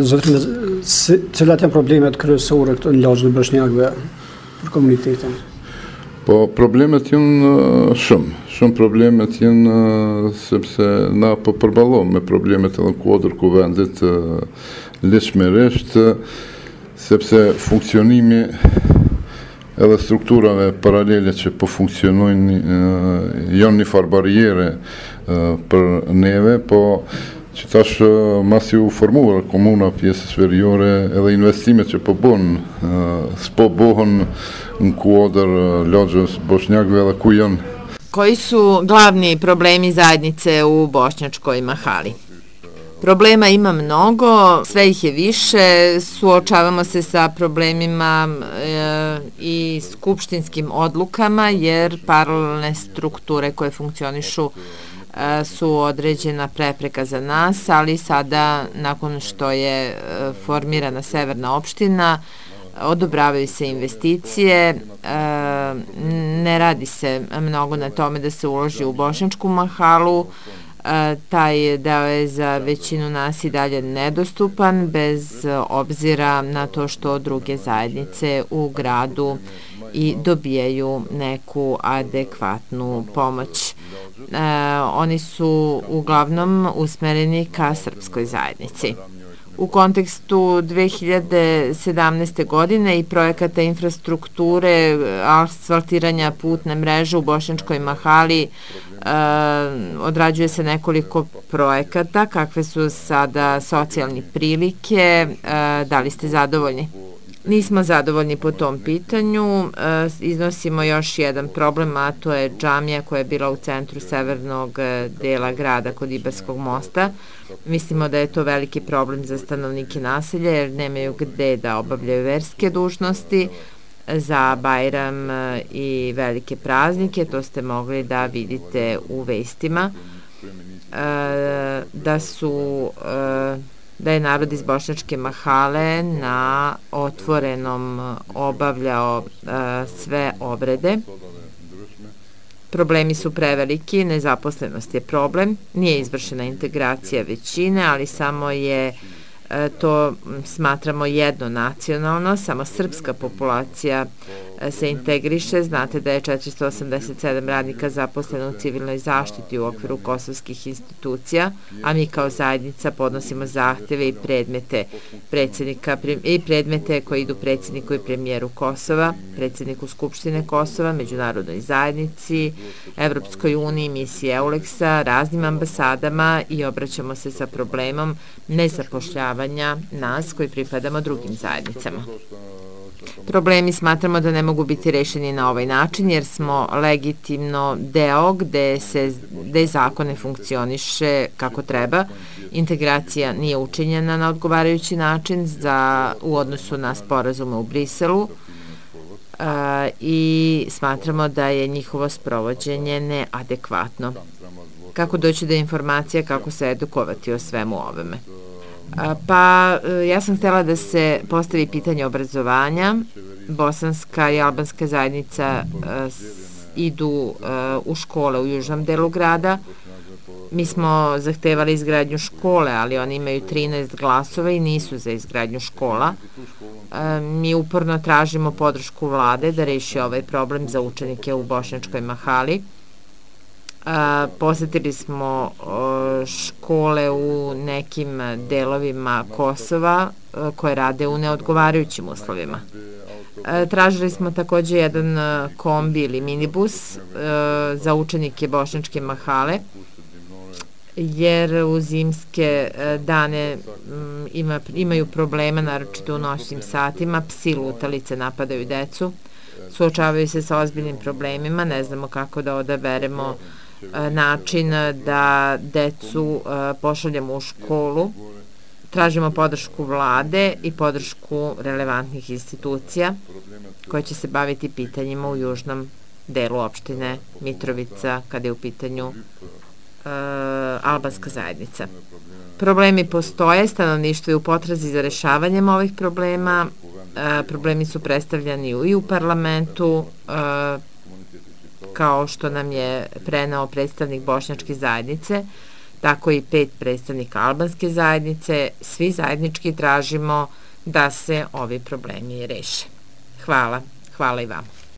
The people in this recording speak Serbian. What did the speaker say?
Zotrin, cilat janë problemet kryesore këto në lagjën e bosnjakëve për komunitetin? Po problemet janë shumë problemet janë sepse na po përballohemi me problemet edhe në kuadër ku vendit lehtësisht sepse funksionimi edhe strukturave paralele që po funksionojnë janë një farë barriere për neve, po që tash masi u formuar komuna pjesës veriore edhe investimet që po bën, s'po bohen në kuadër lagjës bošnjakëve edhe ku janë. Koji su glavni problemi zajednice u Bošnjačkoj Mahali? Problema ima mnogo, sve ih je više, suočavamo se sa problemima i skupštinskim odlukama jer paralelne strukture koje funkcionišu su određena prepreka za nas, ali sada nakon što je formirana severna opština odobravaju se investicije, ne radi se mnogo na tome da se uloži u Bošnjačku Mahalu, taj deo je za većinu nas i dalje nedostupan bez obzira na to što druge zajednice u gradu i dobijaju neku adekvatnu pomoć. Oni su uglavnom usmereni ka srpskoj zajednici. U kontekstu 2017. godine i projekata infrastrukture, asfaltiranja putne mreže u Bošnjačkoj Mahali odrađuje se nekoliko projekata. Kakve su sada socijalne prilike? Da li ste zadovoljni? Nismo zadovoljni po tom pitanju. Iznosimo još jedan problem, a to je džamija koja je bila u centru severnog dela grada kod Ibarskog mosta. Mislimo da je to veliki problem za stanovnike naselja jer nemaju gde da obavljaju verske dužnosti za Bajram i velike praznike. To ste mogli da vidite u vestima. Da je narod iz Bošnjačke Mahale na otvorenom obavljao sve obrede. Problemi su preveliki, nezaposlenost je problem, nije izvršena integracija većine, ali samo je to smatramo jednonacionalno, samo srpska populacija se integriše. Znate da je 487 radnika zaposleno u civilnoj zaštiti u okviru kosovskih institucija, a mi kao zajednica podnosimo zahteve i predmete koji idu predsjedniku i premijeru Kosova, predsjedniku Skupštine Kosova, međunarodnoj zajednici, Evropskoj uniji, misiji EULEX-a, raznim ambasadama i obraćamo se sa problemom nezapošljavanja nas koji pripadamo drugim zajednicama. Problemi smatramo da ne mogu biti rešeni na ovaj način jer smo legitimno deo gde zakon ne funkcioniše kako treba. Integracija nije učinjena na odgovarajući način u odnosu na sporazume u Briselu i smatramo da je njihovo sprovođenje neadekvatno. Kako doći do informacija, kako se edukovati o svemu ovome? Pa ja sam htjela da se postavi pitanje obrazovanja. Bosanska i albanska zajednica idu u škole u južnom delu grada. Mi smo zahtevali izgradnju škole, ali oni imaju 13 glasova i nisu za izgradnju škola. Mi uporno tražimo podršku vlade da reši ovaj problem za učenike u Bošnjačkoj Mahali. Posetili smo škole u nekim delovima Kosova koje rade u neodgovarajućim uslovima. Tražili smo takođe jedan kombi ili minibus za učenike Bošnjačke Mahale jer u zimske dane imaju problema, naročito u noćnim satima, psi lutalice napadaju decu, suočavaju se sa ozbiljnim problemima, ne znamo kako da odaberemo način da decu pošaljemo u školu. Tražimo podršku vlade i podršku relevantnih institucija koje će se baviti pitanjima u južnom delu opštine Mitrovica kada je u pitanju albanska zajednica. Problemi postoje, stanovništvo je u potrazi za rešavanjem ovih problema. Problemi su predstavljani i u parlamentu, kao što nam je preneo predstavnik Bošnjačke zajednice. tako i 5 predstavnika albanske zajednice, svi zajednički tražimo da se ovi problemi reše. Hvala i vam.